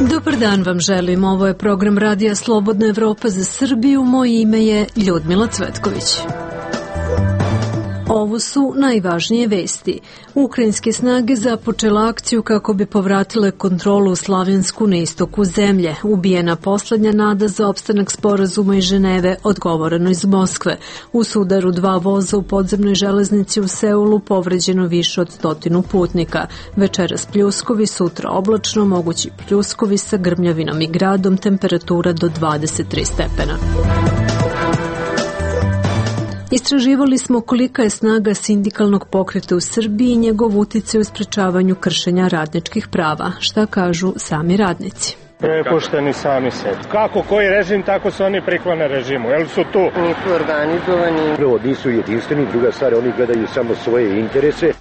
Dobar dan vam želim. Ovo je program Radija Slobodna Evropa za Srbiju. Moje ime je Ljudmila Cvetković. Ovo su najvažnije vesti. Ukrajinske snage započela akciju kako bi povratile kontrolu u Slavjansku na istoku zemlje. Ubijena poslednja nada za opstanak sporazuma iz Ženeve, odgovoreno iz Moskve. U sudaru 2 voza u podzemnoj železnici u Seulu povređeno više od 100 putnika. Večeras pljuskovi, sutra oblačno, mogući pljuskovi sa grmljavinom i gradom, temperatura do 23 stepena. Istraživali smo kolika je snaga sindikalnog pokreta u Srbiji i njegov uticaj u sprečavanju kršenja radničkih prava. Šta kažu sami radnici? Prepušteni sami sebi. Kako koji režim, tako se oni priklone režimu. Jel su tu? Nisu organizovani. Prvo, nisu jedinstveni, druga stvar, oni gledaju samo svoje interese.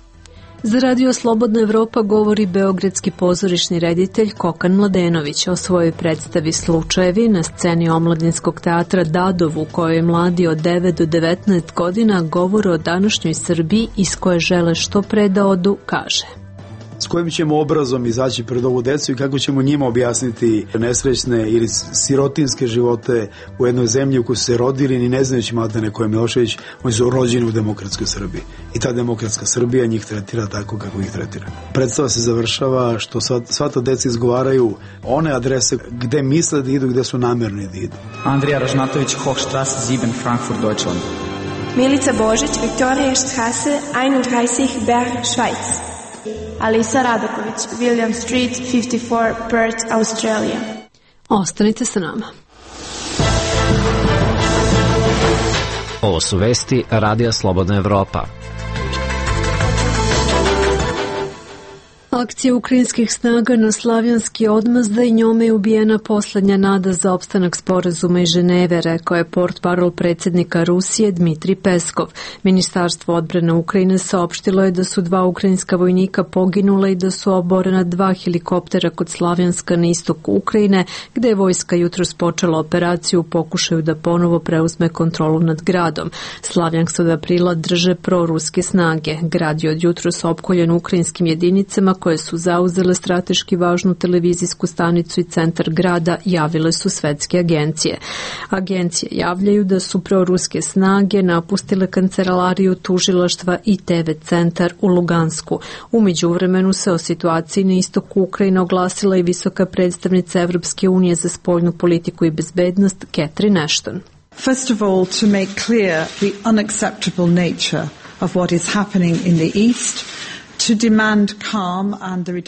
Za Radio Slobodna Evropa govori beogradski pozorišni reditelj Kokan Mladenović o svojoj predstavi Slučajevi na sceni Omladinskog teatra Dadov, u kojoj mladi od 9 do 19 godina govore o današnjoj Srbiji iz koje žele što pre da odu, kaže. S kojim ćemo obrazom izaći pred ovu decu i kako ćemo njima objasniti nesrećne ili sirotinske živote u jednoj zemlji u kojoj su se rodili ni ne znajući Mladene koje Milošević, oni su rođeni u demokratskoj Srbiji. I ta demokratska Srbija njih tretira tako kako ih tretira. Predstava se završava što sva ta deca izgovaraju one adrese gde misle da idu, gde su namerni da idu. Andrija Ražnatović, Hochstrasse 7, Frankfurt, Deutschland. Milica Božić, Viktorija Strasse 31, Bern, Švajc. Alisa Radaković, William Street 54, Perth, Australija. Ostanite sa nama. Ovo su vesti Radija Slobodna Evropa. Akcija ukrajinskih snaga na Slavjanski odmazda i njome je ubijena poslednja nada za opstanak sporazuma iz Ženeve, rekao je portparol predsjednika Rusije Dmitrij Peskov. Ministarstvo odbrane Ukrajine saopštilo je da su 2 ukrajinska vojnika poginula i da su oborena 2 helikoptera kod Slavjanska na istoku Ukrajine, gde je vojska jutros počela operaciju u pokušaju da ponovo preuzme kontrolu nad gradom. Slavjansk od aprila drže proruske snage. Grad je od jutros opkoljen ukrajinskim jedinicama koje su zauzele strateški važnu televizijsku stanicu i centar grada, javile su svetske agencije. Agencije javljaju da su proruske snage napustile kancelariju tužilaštva i TV centar u Lugansku. U međuvremenu se o situaciji na istoku Ukrajine oglasila i visoka predstavnica Evropske unije za spoljnu politiku i bezbednost Catherine Ashton. First of all, to make clear the unacceptable nature of what is happening in the east.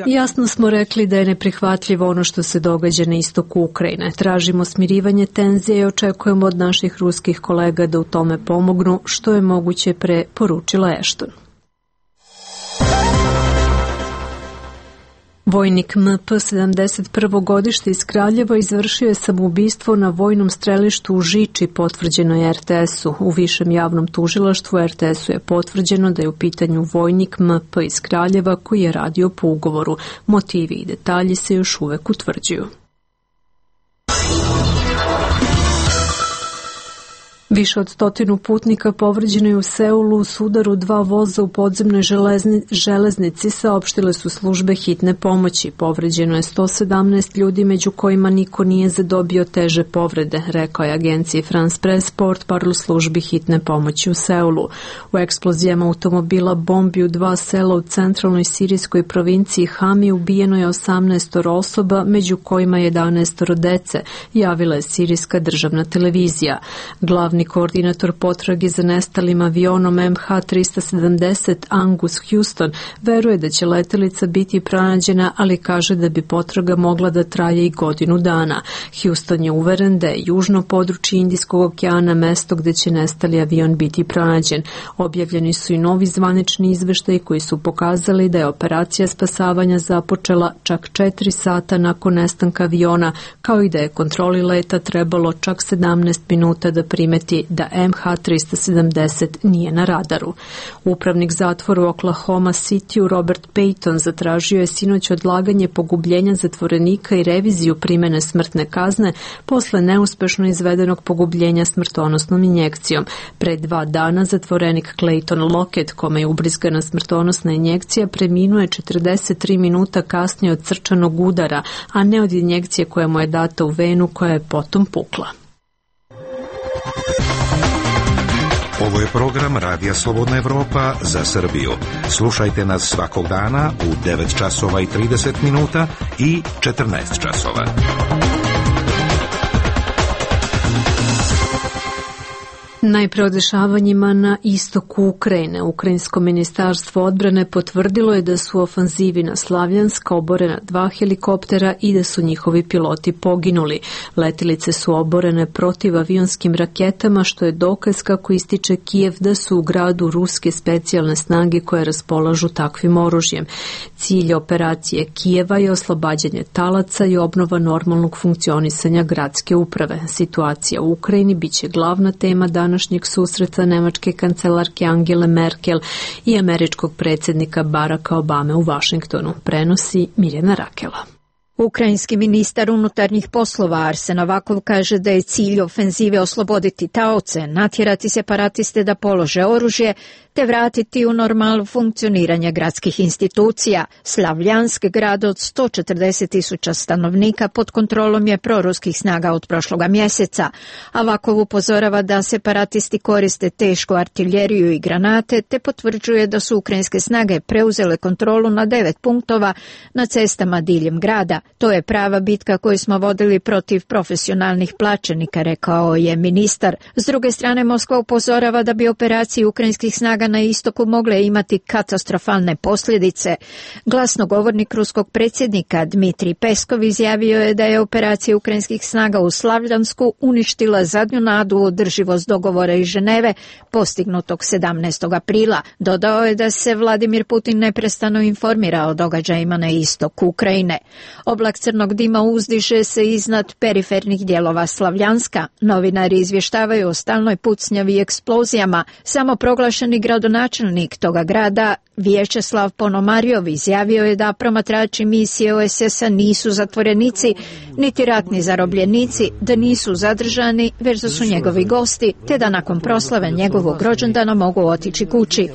Jasno smo rekli da je neprihvatljivo ono što se događa na istoku Ukrajine. Tražimo smirivanje tenzije i očekujemo od naših ruskih kolega da u tome pomognu što je moguće pre, poručila Ashton. Vojnik MP 71. godište iz Kraljeva izvršio je samoubistvo na vojnom strelištu u Žiči, potvrđeno je RTS-u. U višem javnom tužilaštvu RTS-u je potvrđeno da je u pitanju vojnik MP iz Kraljeva koji je radio po ugovoru. Motivi i detalji se još uvek utvrđuju. Više od 100 putnika povređeno je u Seulu u sudaru 2 voza u podzemnoj železnici, saopštile su službe hitne pomoći. Povređeno je 117 ljudi, među kojima niko nije zadobio teže povrede, rekao je agenciji France Press portparol službi hitne pomoći u Seulu. U eksplozijama automobila bombi u 2 sela u centralnoj sirijskoj provinciji Hami ubijeno je 18 osoba, među kojima 11 dece, javila je sirijska državna televizija. Glavni koordinator potrage za nestalim avionom MH370 Angus Houston veruje da će letelica biti pronađena, ali kaže da bi potraga mogla da traje i godinu dana. Houston je uveren da je južno područje Indijskog okeana mesto gde će nestali avion biti pronađen. Objavljeni su i novi zvanični izveštaji koji su pokazali da je operacija spasavanja započela čak 4 sata nakon nestanka aviona, kao i da je kontroli leta trebalo čak 17 minuta da primeti potvrditi da MH370 nije na radaru. Upravnik zatvora u Oklahoma Cityu Robert Payton zatražio je sinoć odlaganje pogubljenja zatvorenika i reviziju primene smrtne kazne posle neuspešno izvedenog pogubljenja smrtonosnom injekcijom. Pre 2 dana zatvorenik Clayton Lockett, kome je ubrizgana smrtonosna injekcija, preminuo je 43 minuta kasnije od srčanog udara, a ne od injekcije koja mu je data u venu koja je potom pukla. Ovo je program Radija Slobodna Evropa za Srbiju. Slušajte nas svakog dana u 9 časova i 30 minuta i 14 časova. Najpre o dešavanjima na istoku Ukrajine. Ukrajinsko ministarstvo odbrane potvrdilo je da su u ofanzivi na Slavjansk oborena 2 helikoptera i da su njihovi piloti poginuli. Letilice su oborene protivavionskim raketama, što je dokaz, kako ističe Kijev, da su u gradu ruske specijalne snage koje raspolažu takvim oružjem. Cilj operacije Kijeva je oslobađanje talaca i obnova normalnog funkcionisanja gradske uprave. Situacija u Ukrajini biće glavna tema današnjeg susreta nemačke kancelarke Angele Merkel i američkog predsjednika Baracka Obame u Vašingtonu, prenosi Mirjana Rakela. Ukrajinski ministar unutarnjih poslova Arsen Avakov kaže da je cilj ofenzive osloboditi taoce, natjerati separatiste da polože oružje te vratiti u normalno funkcioniranje gradskih institucija. Slavljansk, grad od 140.000 stanovnika, pod kontrolom je proruskih snaga od prošloga mjeseca. Avakov upozorava da separatisti koriste tešku artiljeriju i granate te potvrđuje da su ukrajinske snage preuzele kontrolu na 9 punktova na cestama diljem grada. To je prava bitka koju smo vodili protiv profesionalnih plaćenika, rekao je ministar. S druge strane, Moskva upozorava da bi operacije ukrajinskih snaga na istoku mogle imati katastrofalne posljedice. Glasnogovornik ruskog predsjednika Dmitrij Peskov izjavio je da je operacija ukrajinskih snaga u Slavljansku uništila zadnju nadu u održivost dogovora iz Ženeve postignutog 17. aprila. Dodao je da se Vladimir Putin neprestano informira o događajima na istoku Ukrajine. Oblak crnog dima uzdiže se iznad perifernih dijelova Slavljanska. Novinari izvještavaju o stalnoj pucnjavi i eksplozijama. Samoproglašeni gradonačelnik toga grada, Vječeslav Ponomarjov, izjavio je da promatrači misije OSS-a nisu zatvorenici, niti ratni zarobljenici, da nisu zadržani, već da su njegovi gosti, te da nakon proslave njegovog rođendana mogu otići kući.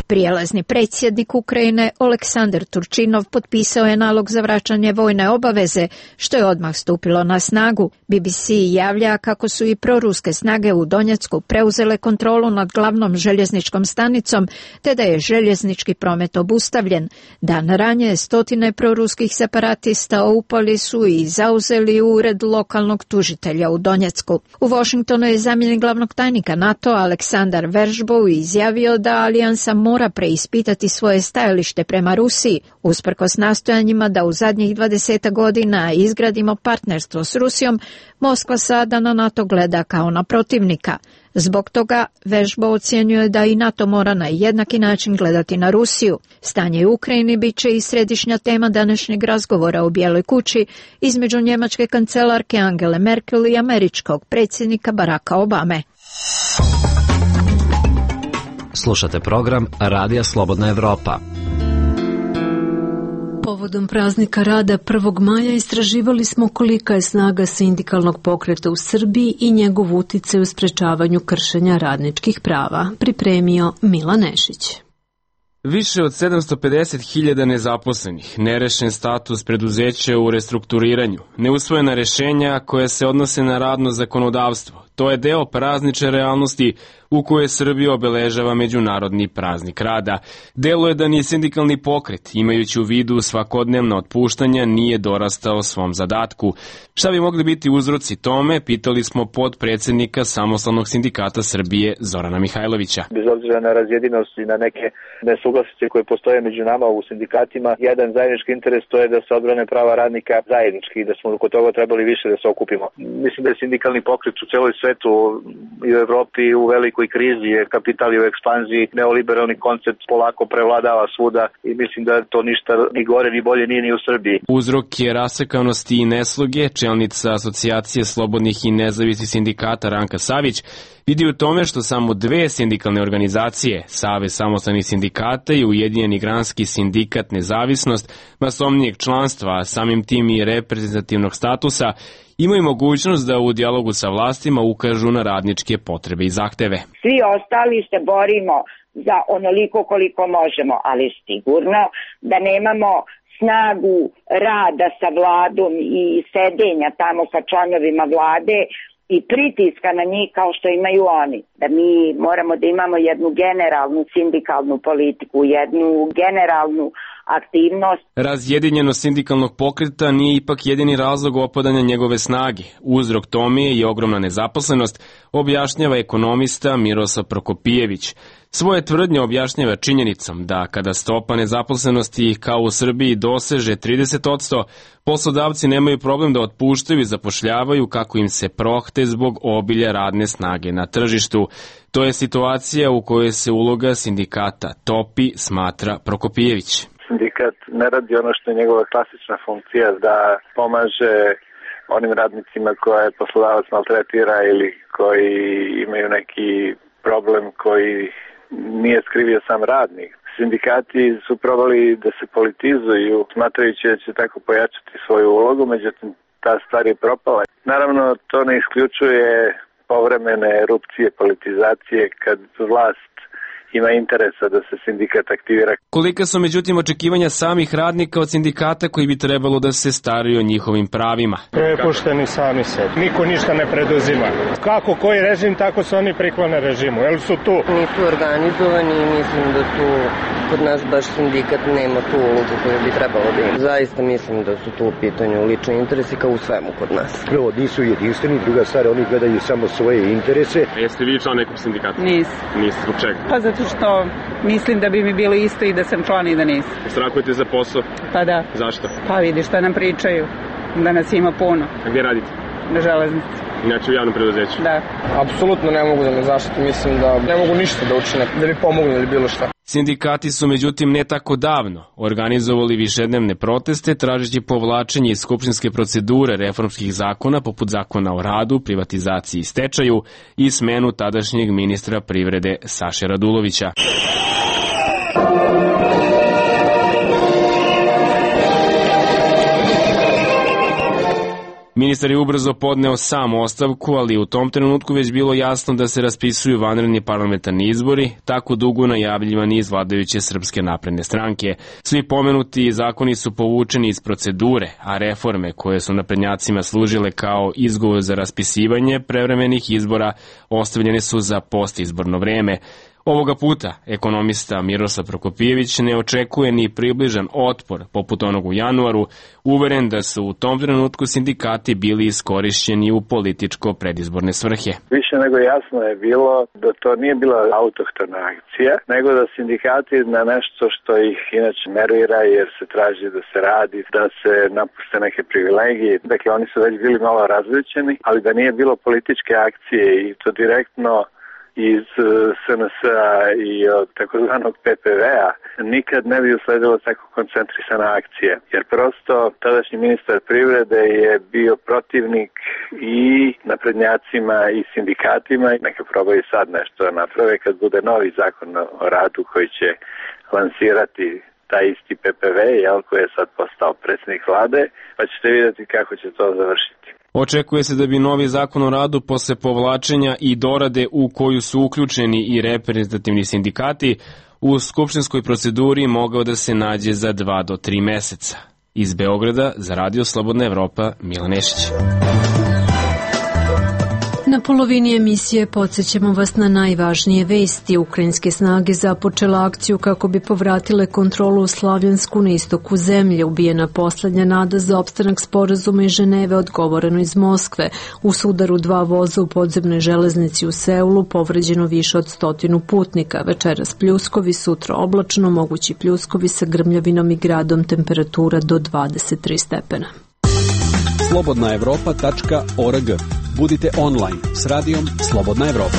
Prijelazni predsjednik Ukrajine Oleksandar Turčinov potpisao je nalog za vraćanje vojne obaveze, što je odmah stupilo na snagu. BBC javlja kako su i proruske snage u Donjecku preuzele kontrolu nad glavnom željezničkom stanicom, te da je željeznički promet obustavljen. Dan ranije stotine proruskih separatista upali su i zauzeli ured lokalnog tužitelja u Donjecku. U Washingtonu je zamjenik glavnog tajnika NATO Aleksandar Veržbov izjavio da alijansa mora preispitati svoje stajalište prema Rusiji, usprkos nastojanjima da u zadnjih 20 godina izgradimo partnerstvo s Rusijom. Moskva sada na NATO gleda kao na protivnika. Zbog toga Veržbo ocjenjuje da i NATO mora na jednaki način gledati na Rusiju. Stanje u Ukrajini bit će i središnja tema današnjeg razgovora u Bijeloj kući između njemačke kancelarke Angele Merkel i američkog predsjednika Baracka Obame. Slušate program Radija Slobodna Evropa. Povodom praznika rada 1. maja istraživali smo kolika je snaga sindikalnog pokreta u Srbiji i njegov uticaj u sprečavanju kršenja radničkih prava. Pripremio Milan Nešić. Više od 750.000 nezaposlenih, nerešen status preduzeća u restrukturiranju, neusvojena rešenja koja se odnose na radno zakonodavstvo. To je deo praznične realnosti u kojoj Srbija obeležava Međunarodni praznik rada. Delo je da ni sindikalni pokret, imajući u vidu svakodnevna otpuštanja, nije dorastao svom zadatku. Šta bi mogli biti uzroci tome, pitali smo podpredsednika Samostalnog sindikata Srbije Zorana Mihajlovića. Bez obzira na razjedinost i na neke nesuglasice koje postoje među nama u sindikatima, jedan zajednički interes to je da se odbrane prava radnika zajednički i da smo oko toga trebali više da se okupimo. Mislim da je sindikalni pokret u celoj svetu i u Evropi u velikoj krizi, je kapital u ekspanziji, neoliberalni koncept polako prevladava svuda i mislim da to ništa ni gore ni bolje nije ni u Srbiji. Uzrok je rasekanosti i nesloge. Čelnica Asocijacije slobodnih i nezavisnih sindikata Ranka Savić vidi u tome što samo dve sindikalne organizacije, Savez samostalnih sindikata i Ujedinjeni granski sindikat Nezavisnost, masovnijeg članstva, a samim tim i reprezentativnog statusa, imaju mogućnost da u dijalogu sa vlastima ukažu na radničke potrebe i zahteve. Svi ostali se borimo za onoliko koliko možemo, ali sigurno da nemamo snagu rada sa vladom i sedenja tamo sa članovima vlade i pritiska na njih kao što imaju oni. Da mi moramo da imamo jednu generalnu sindikalnu politiku, jednu generalnu aktivnost. Razjedinjenost sindikalnog pokreta nije ipak jedini razlog opadanja njegove snage. Uzrok tome je i ogromna nezaposlenost, objašnjava ekonomista Miroslav Prokopijević. Svoje tvrdnje objašnjava činjenicom da kada stopa nezaposlenosti kao u Srbiji doseže 30%, poslodavci nemaju problem da otpuštaju i zapošljavaju kako im se prohte zbog obilja radne snage na tržištu. To je situacija u kojoj se uloga sindikata topi, smatra Prokopijević. Sindikat ne radi ono što je njegova klasična funkcija, da pomaže onim radnicima koje poslodavac maltretira ili koji imaju neki problem koji nije skrivio sam radnik. Sindikati su probali da se politizuju, smatrajući da će tako pojačati svoju ulogu, međutim ta stvar je propala. Naravno, to ne isključuje povremene erupcije politizacije kad vlast ima interesa da se sindikat aktivira. Kolika su međutim očekivanja samih radnika od sindikata koji bi trebalo da se staraju o njihovim pravima? Prepušteni sami sebi. Niko ništa ne preduzima. Kako koji režim, tako se oni priklone režimu. Jel su tu? Nisu organizovani i mislim da tu kod nas baš sindikat nema tu ulogu koju bi trebalo da ima. Zaista mislim da su tu u pitanju lični interesi kao u svemu kod nas. Prvo, nisu jedinstveni, druga stvar, oni gledaju samo svoje interese. Jeste vi član nekog sindikata? Nisam. Niste, zbog čega? Pa zato što mislim da bi mi bilo isto i da sam član i da nisam. Strahujete za posao? Pa da. Zašto? Pa vidi šta nam pričaju, da nas ima puno. A gdje radite? Na železnici. Inače u javnom preduzeću? Da. Apsolutno ne mogu da me zaštitim, mislim da ne mogu ništa da učine, da mi pomognu ili bilo šta. Sindikati su međutim ne tako davno organizovali višednevne proteste tražeći povlačenje iz skupštinske procedure reformskih zakona poput zakona o radu, privatizaciji i stečaju i smenu tadašnjeg ministra privrede Saše Radulovića. Ministar je ubrzo podneo sam ostavku, ali u tom trenutku već bilo jasno da se raspisuju vanredni parlamentarni izbori, tako dugo najavljivani iz vladajuće Srpske napredne stranke. Svi pomenuti zakoni su povučeni iz procedure, a reforme koje su naprednjacima služile kao izgovor za raspisivanje prevremenih izbora ostavljene su za postizborno vreme. Ovoga puta ekonomista Miroslav Prokopijević ne očekuje ni približan otpor poput onog u januaru, uveren da su u tom trenutku sindikati bili iskorišćeni u političko predizborne svrhe. Više nego jasno je bilo da to nije bila autohtona akcija, nego da sindikati na nešto što ih inače nervira jer se traži da se radi, da se napuste neke privilegije. Dakle, oni su već bili malo različeni, ali da nije bilo političke akcije i to direktno iz SNS-a i od takozvanog PPV-a, nikad ne bi usledilo tako koncentrisana akcija. Jer prosto tadašnji ministar privrede je bio protivnik i naprednjacima i sindikatima. Neka probaju sad nešto da naprave kad bude novi zakon o radu koji će lansirati taj isti PPV, koji je sad postao predsjednik vlade, pa ćete vidjeti kako će to završiti. Očekuje se da bi novi zakon o radu posle povlačenja i dorade u koju su uključeni i reprezentativni sindikati u skupštinskoj proceduri mogao da se nađe za 2 do 3 meseca. Iz Beograda za Radio Slobodna Evropa, Milan Nešić. Na polovini emisije podsjećamo vas na najvažnije vesti. Ukrajinske snage započela akciju kako bi povratile kontrolu u Slavjansku na istoku zemlje. Ubijena poslednja nada za opstanak sporazuma iz Ženeve, odgovoreno iz Moskve. U sudaru 2 voza u podzemnoj železnici u Seulu povređeno više od 100 putnika. Večeras pljuskovi, sutra oblačno, mogući pljuskovi sa grmljavinom i gradom, temperatura do 23 stepena. Slobodnaevropa.org. Budite online s radijom Slobodna Evropa.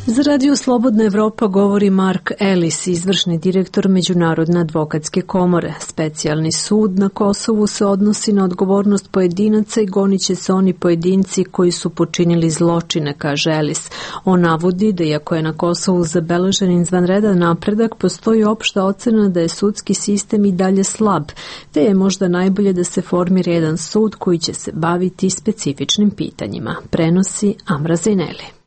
Za Radio Slobodna Evropa govori Mark Ellis, izvršni direktor Međunarodne advokatske komore. Specijalni sud na Kosovu se odnosi na odgovornost pojedinaca i gonit će se oni pojedinci koji su počinili zločine, kaže Ellis. On navodi da iako je na Kosovu zabeležen izvanredan napredak, postoji opšta ocena da je sudski sistem i dalje slab, te je možda najbolje da se formira jedan sud koji će se baviti specifičnim pitanjima. Prenosi Amra Zaineli.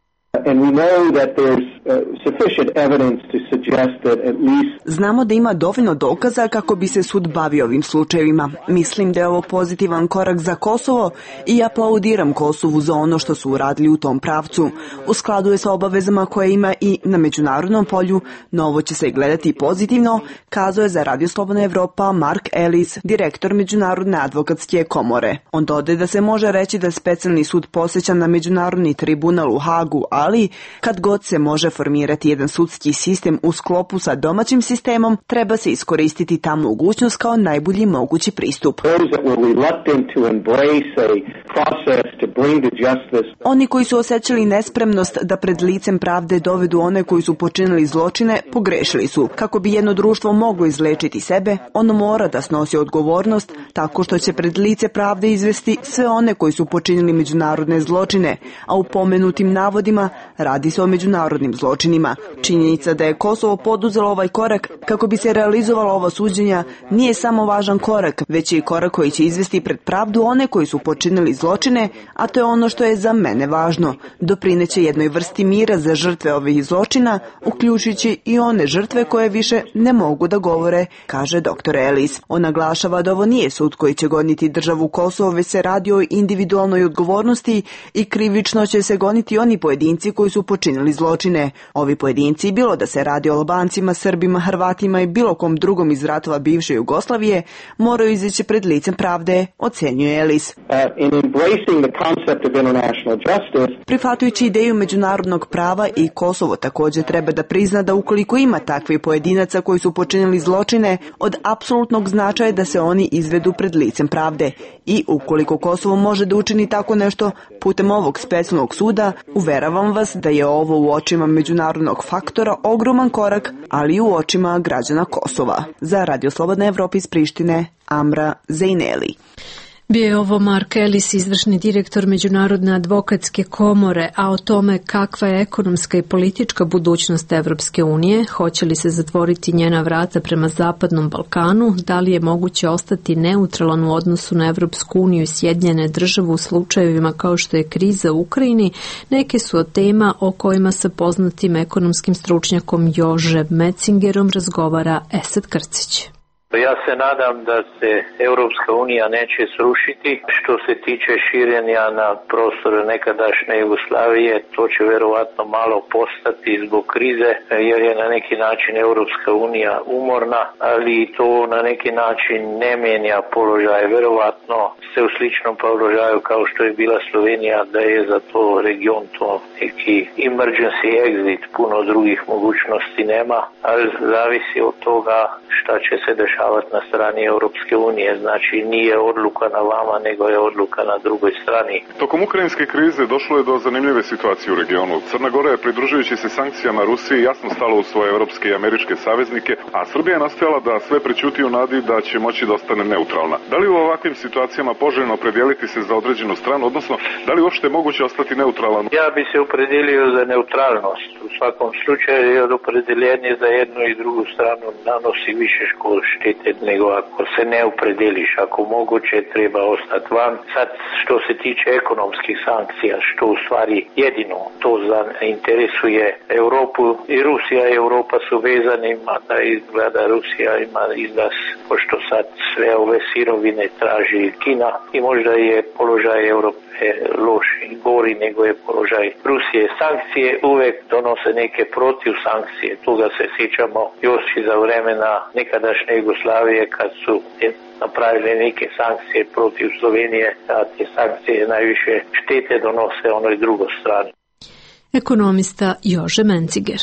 Znamo da ima dovoljno dokaza kako bi se sud bavio ovim slučajevima. Mislim da je ovo pozitivan korak za Kosovo i aplaudiram Kosovu za ono što su uradili u tom pravcu. U skladu je sa obavezama koje ima i na međunarodnom polju, no ovo će se gledati pozitivno, kazao je za Radio Slobodna Evropa Mark Ellis, direktor Međunarodne advokatske komore. On dodaje da se može reći da specijalni sud posjeća na Međunarodni tribunal u Hagu, ali kad god se može formirati jedan sudski sistem u sklopu sa domaćim sistemom, treba se iskoristiti ta mogućnost kao najbolji mogući pristup. Oni koji su osjećali nespremnost da pred licem pravde dovedu one koji su počinili zločine, pogrešili su. Kako bi jedno društvo moglo izlečiti sebe, ono mora da snosi odgovornost tako što će pred lice pravde izvesti sve one koji su počinili međunarodne zločine, a u pomenutim navodima radi se o međunarodnim zločinima. Činjenica da je Kosovo poduzelo ovaj korak kako bi se realizovala ova suđenja nije samo važan korak, već i korak koji će izvesti pred pravdu one koji su počinili zločine, a to je ono što je za mene važno. Doprineće jednoj vrsti mira za žrtve ovih zločina, uključujući i one žrtve koje više ne mogu da govore, kaže dr. Ellis. On naglašava da ovo nije sud koji će goniti državu Kosovo, već se radi o individualnoj odgovornosti i krivično će se goniti oni pojedinci koji su počinili zločine. Ovi pojedinci, bilo da se radi o Albancima, Srbima, Hrvatima i bilo kom drugom iz ratova bivše Jugoslavije, moraju izaći pred licem pravde, ocenjuje Ellis. Prihvatajući ideju međunarodnog prava, i Kosovo također treba da prizna da ukoliko ima takvih pojedinaca koji su počinili zločine, od apsolutnog značaja da se oni izvedu pred licem pravde. I ukoliko Kosovo može da učini tako nešto putem ovog specijalnog suda, uveravam vas da je ovo u očima međunarodnog faktora ogroman korak, ali i u očima građana Kosova. Za Radio Slobodna Evropa iz Prištine, Amra Zaineli. Bio je ovo Mark Ellis, izvršni direktor Međunarodne advokatske komore, a o tome kakva je ekonomska i politička budućnost Evropske unije, hoće li se zatvoriti njena vrata prema Zapadnom Balkanu, da li je moguće ostati neutralan u odnosu na Evropsku uniju i Sjedinjene države u slučajevima kao što je kriza u Ukrajini, neke su od tema o kojima sa poznatim ekonomskim stručnjakom Jože Metzingerom razgovara Esad Krcić. Ja se nadam da se Europska unija neće srušiti. Što se tiče širenja na prostoru nekadašnje Jugoslavije, to će verovatno malo postati zbog krize, jer je na neki način Europska unija umorna, ali to na neki način ne mijenja položaj. Verovatno se u sličnom položaju kao što je bila Slovenija, da je za to region to neki emergency exit, puno drugih mogućnosti nema, ali zavisi od toga šta će se dešavati na strani Europske unije. Znači nije odluka na vama, nego je odluka na drugoj strani. Tokom ukrajinske krize došlo je do zanimljive situacije u regionu. Crna Gora je, pridružujući se sankcijama Rusiji, jasno stala u svoje evropske i američke saveznike, a Srbija je nastojala da sve prećuti u nadi da će moći da ostane neutralna. Da li u ovakvim situacijama poželjno opredijeliti se za određenu stranu, odnosno da li uopšte je moguće ostati neutralan? Ja bi se opredelio za neutralnost. U svakom slučaju je opredeljenje za jednu i drugu stranu nanosi više štete nego ako se ne opredeliš. Ako moguće treba ostati van. Sad što se tiče ekonomskih sankcija, što u stvari jedino to interesuje Europu, i Rusija i Europa su vezani, mada izgleda Rusija ima izlaz, pošto sad sve ove sirovine traži Kina i možda je položaj Europe loš i gori nego je položaj Rusije. Sankcije uvek donose neke protiv sankcije. Toga se sjećamo još i za vremena nekadašnje Jugoslavije kad su napravili neke sankcije protiv Slovenije, a te sankcije najviše štete donose onoj drugoj strani. Ekonomista Jože Menciger.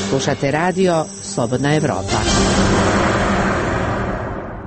Slušate radio Slobodna Evropa.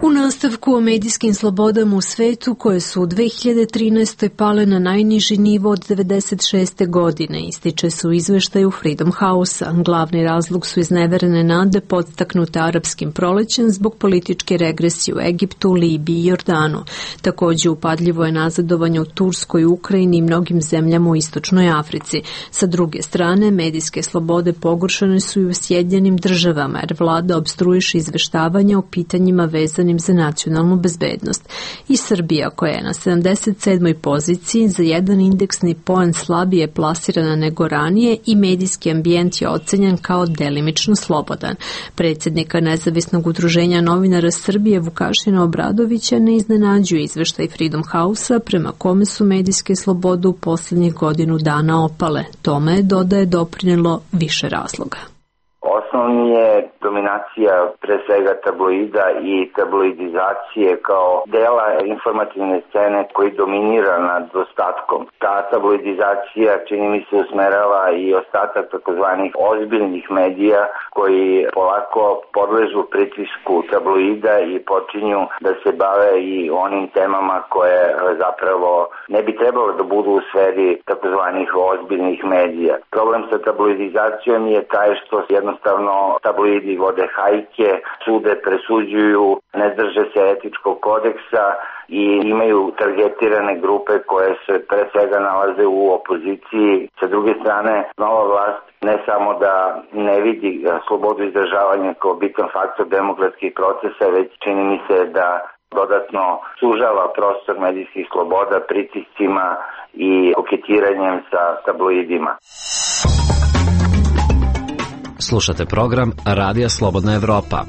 U nastavku o medijskim slobodama u svetu koje su u 2013. pale na najniži nivo od 96. godine, ističe se u izveštaju Freedom House-a. Glavni razlog su izneverene nade podstaknute arapskim prolećem zbog političke regresije u Egiptu, Libiji i Jordanu. Također upadljivo je nazadovanje u Turskoj, Ukrajini i mnogim zemljama u Istočnoj Africi. Sa druge strane, medijske slobode pogoršane su i u Sjedinjenim Državama, jer vlada opstruiše izveštavanja o pitanjima vezanim za nacionalnu bezbednost. I Srbija, koja je na 77. poziciji, za jedan indeksni poen slabije plasirana nego ranije i medijski ambijent je ocenjen kao delimično slobodan. Predsjednika Nezavisnog udruženja novinara Srbije Vukašina Obradovića ne iznenađuje izveštaj Freedom House-a prema kome su medijske slobode u posljednjih godinu dana opale. Tome je, dodaje, doprinjelo više razloga. Osnovni je dominacija pre svega tabloida i tabloidizacije kao dela informativne scene koji dominira nad ostatkom. Ta tabloidizacija, čini mi se, usmerava i ostatak takozvanih ozbiljnih medija koji polako podležu pritisku tabloida i počinju da se bave i onim temama koje zapravo ne bi trebalo da budu u sferi takozvanih ozbiljnih medija. Problem sa tabloidizacijom je taj što jednostavno tabloidi vode hajke, sude, presuđuju, ne drže se etičkog kodeksa i imaju targetirane grupe koje se pre svega nalaze u opoziciji. Sa druge strane, nova vlast ne samo da ne vidi slobodu izražavanja kao bitan faktor demokratskih procesa, već čini mi se da dodatno sužava prostor medijskih sloboda pritiscima i koketiranjem sa tabloidima. Slušate program Radija Slobodna Evropa.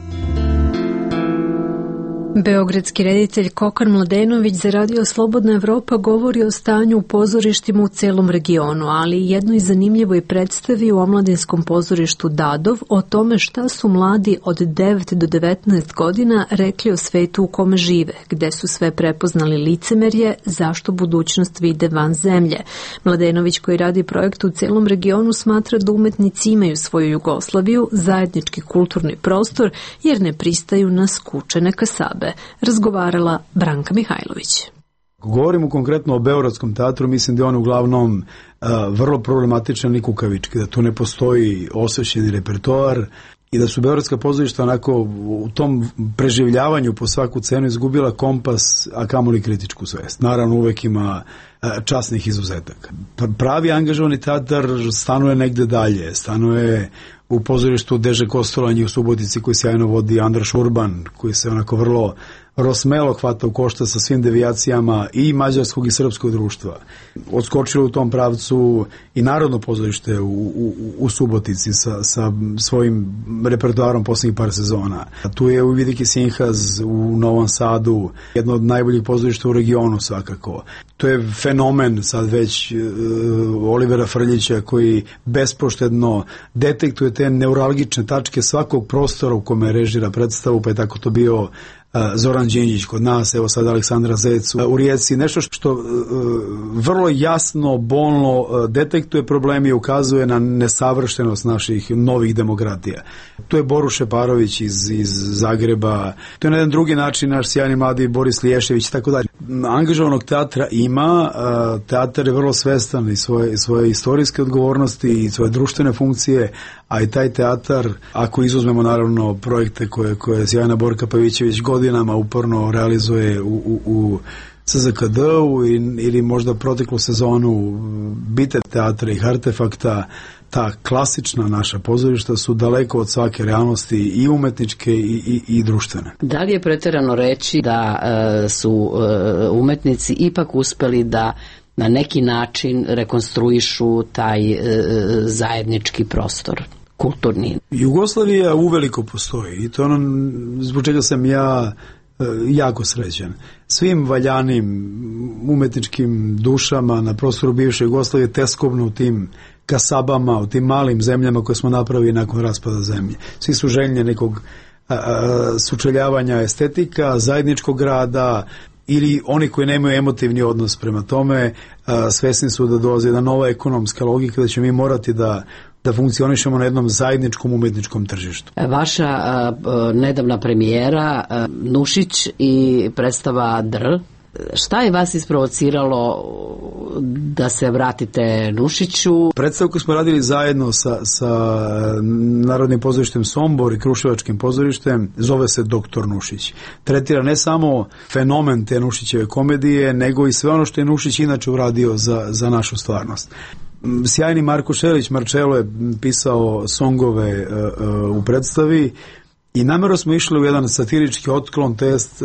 Beogradski reditelj Kokan Mladenović za Radio Slobodna Evropa govori o stanju u pozorištima u celom regionu, ali i jednoj zanimljivoj predstavi u omladinskom pozorištu Dadov o tome šta su mladi od 9 do 19 godina rekli o svetu u kome žive, gde su sve prepoznali licemerje, zašto budućnost vide van zemlje. Mladenović, koji radi projekt u celom regionu, smatra da umetnici imaju svoju Jugoslaviju, zajednički kulturni prostor, jer ne pristaju na skučene kasabe. Razgovarala Branka Mihajlović. Govorimo konkretno o Beogradskom teatru, mislim da je on uglavnom vrlo problematičan i kukavički, da tu ne postoji osvećeni repertoar i da su beogradska pozorišta onako u tom preživljavanju po svaku cenu izgubila kompas, a kamoli kritičku svest. Naravno, uvek ima časnih izuzetaka. Pravi angažovani teatar stanuje negde dalje, stanuje u pozorištu Deže Kostolanje u Subotici koji sjajno vodi Andraš Urban, koji se onako vrlo smelo hvata u košta sa svim devijacijama i mađarskog i srpskog društva. Odskočilo u tom pravcu i Narodno pozorište u Subotici sa svojim repertoarom posljednjih par sezona. Tu je Uvidiki Sinhaz u Novom Sadu, jedno od najboljih pozorišta u regionu svakako. To je fenomen sad već Olivera Frljića koji bespoštedno detektuje te neuralgične tačke svakog prostora u kome režira predstavu, pa je tako to bio Zoran Đinđić kod nas, evo sad Aleksandra Zec u Rijeci, nešto što vrlo jasno, bolno detektuje problemi i ukazuje na nesavršenost naših novih demokratija. Tu je Boru Šeparović iz Zagreba, to je na jedan drugi način naš sjajni mladi Boris Liješević i tako dalje. Angažovanog teatra ima, teatar je vrlo svestan i svoje istorijske odgovornosti i svoje društvene funkcije, a i taj teatar, ako izuzmemo naravno projekte koje sjajna Borka Pavićević godinama uporno realizuje u CZKD-u ili možda proteklu sezonu Bite teatra i Artefakta, ta klasična naša pozorišta su daleko od svake realnosti i umetničke i društvene. Da li je preterano reći da su umetnici ipak uspeli da na neki način rekonstruišu taj zajednički prostor? Kulturni. Jugoslavija uveliko postoji i to ono zbog čega sam ja jako srećan. Svim valjanim umetničkim dušama na prostoru bivše Jugoslavije teskobno u tim kasabama, u tim malim zemljama koje smo napravili nakon raspada zemlje. Svi su željni nekog sučeljavanja estetika, zajedničkog rada, ili oni koji nemaju emotivni odnos prema tome, svesni su da dolazi jedna nova ekonomska logika, da će mi morati da da funkcionišemo na jednom zajedničkom umetničkom tržištu. Vaša nedavna premijera Nušić i predstava Dr. Šta je vas isprovociralo da se vratite Nušiću? Predstavu koju smo radili zajedno sa Narodnim pozorištem Sombor i Kruševačkim pozorištem zove se Doktor Nušić. Tretira ne samo fenomen te Nušićeve komedije, nego i sve ono što je Nušić inače uradio za našu stvarnost. Sjajni Marko Šelić Marčelo je pisao songove u predstavi i namjerno smo išli u jedan satirički otklon, test.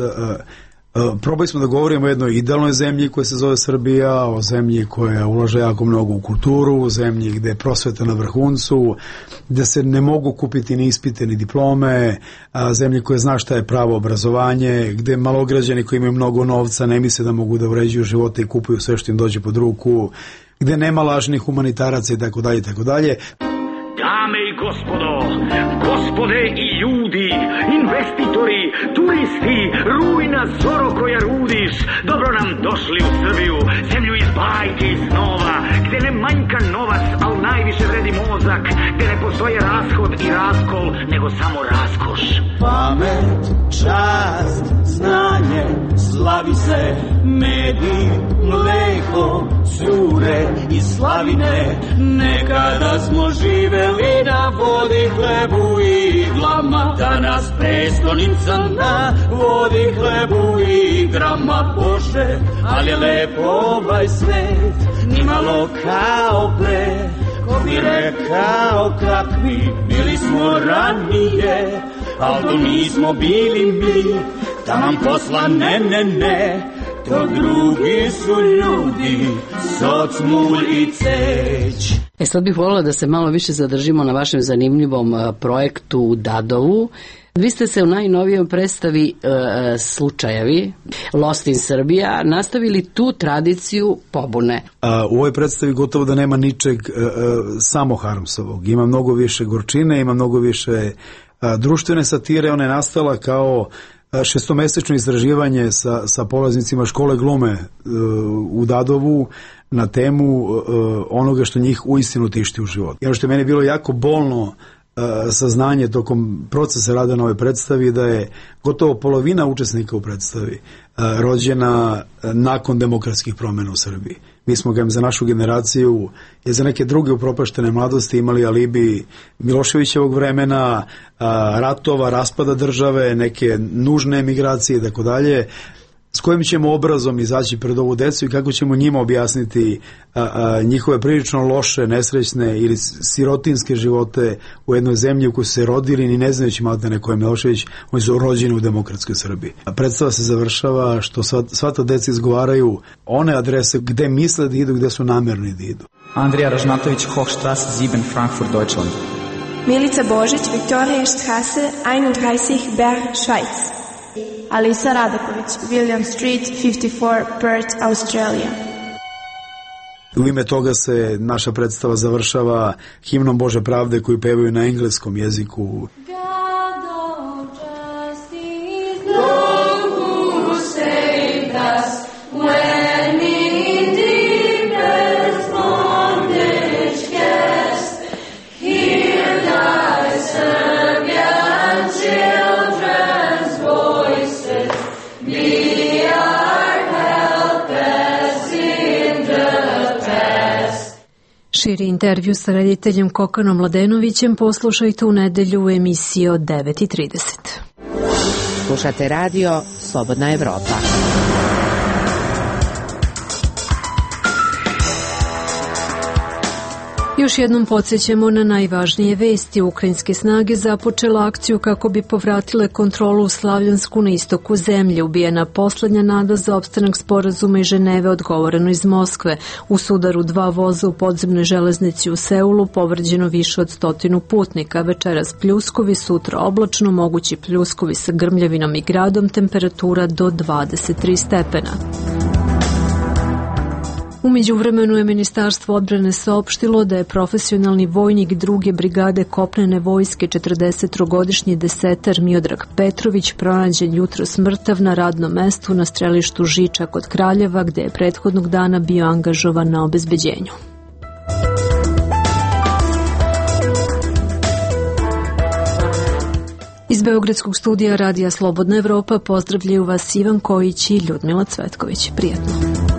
Probali smo da govorimo o jednoj idealnoj zemlji koja se zove Srbija, o zemlji koja ulaže jako mnogo u kulturu, o zemlji gde je prosveta na vrhuncu, gde se ne mogu kupiti ni ispite ni diplome, zemlji koja zna šta je pravo obrazovanje, gde malograđani koji imaju mnogo novca ne misle da mogu da uređuju živote i kupuju sve što im dođe pod ruku, gde nema lažnih humanitaraca i tako dalje i tako dalje. Dame i gospodo, gospode i ljudi, investitori, turisti, rujna zoro koja rudiš, dobro nam došli u Srbiju, zemlju iz bajke i snova, gde ne manjka novac, al najviše vredi mozak, gde ne postoje rashod i raskol, nego samo raskoš. Pamet, čast, znanje, slavi se, medij, mleko, cure i slavine, nekada smo živeli na vodi, hlebu i iglama, danas prestonica na vodi, hlebu i igrama. Bože, ali je lepo ovaj svet, nimalo kao pre, ko bi rekao kakvi bili smo ranije, al to nismo bili mi, taman posla ne, to drugi su ljudi, soc, mulj i ceć. Sad bih voljela da se malo više zadržimo na vašem zanimljivom projektu u Dadovu. Vi ste se u najnovijoj predstavi Slučajevi, Lost in Serbia, nastavili tu tradiciju pobune. U ovoj predstavi gotovo da nema ničeg samo Harmsovog. Ima mnogo više gorčine, ima mnogo više društvene satire. Ona je nastala kao šestomesečno istraživanje sa polaznicima škole glume u Dadovu na temu onoga što njih uistinu tišti u životu. I ono što je meni bilo jako bolno saznanje tokom procesa rada na ovoj predstavi, da je gotovo polovina učesnika u predstavi rođena nakon demokratskih promjena u Srbiji. Mi smo ga za našu generaciju i za neke druge upropaštene mladosti imali alibi Miloševićevog vremena, ratova, raspada države, neke nužne emigracije i tako dalje. S kojim ćemo obrazom izaći pred ovu decu i kako ćemo njima objasniti njihove prilično loše, nesrećne ili sirotinske živote u jednoj zemlji u kojoj su se rodili ni ne znajući maltene ko je Milošević, oni su rođeni u demokratskoj Srbiji. Predstava se završava što sva ta deca izgovaraju one adrese gde misle da idu, gde su namerni da idu. Andrija Ražnatović, Hochstrasse 7, Frankfurt, Deutschland. Milica Božić, Viktorijastrasse 31, Bern, Schweiz. Alisa Radaković, William Street, 54, Perth, Australia. U ime toga se naša predstava završava himnom Bože pravde koju pevaju na engleskom jeziku. Širi intervju sa rediteljem Kokanom Mladenovićem poslušajte u nedelju u emisiji od 9:30. Slušate radio Slobodna Evropa. Još jednom podsjećamo na najvažnije vesti. Ukrajinske snage započela akciju kako bi povratile kontrolu u Slavjansku na istoku zemlje. Ubijena poslednja nada za opstanak sporazuma i Ženeve, odgovoreno iz Moskve. U sudaru 2 voza u podzemnoj železnici u Seulu povređeno više od 100 putnika. Večeras pljuskovi, sutra oblačno, mogući pljuskovi sa grmljavinom i gradom, temperatura do 23 stepena. U međuvremenu je Ministarstvo odbrane saopštilo da je profesionalni vojnik 2. brigade kopnene vojske 43-godišnji desetar Miodrag Petrović pronađen jutros mrtav na radnom mestu na strelištu Žiča kod Kraljeva, gde je prethodnog dana bio angažovan na obezbeđenju. Iz Beogradskog studija Radija Slobodna Evropa pozdravljaju vas Ivan Kojić i Ljudmila Cvetković. Prijetno.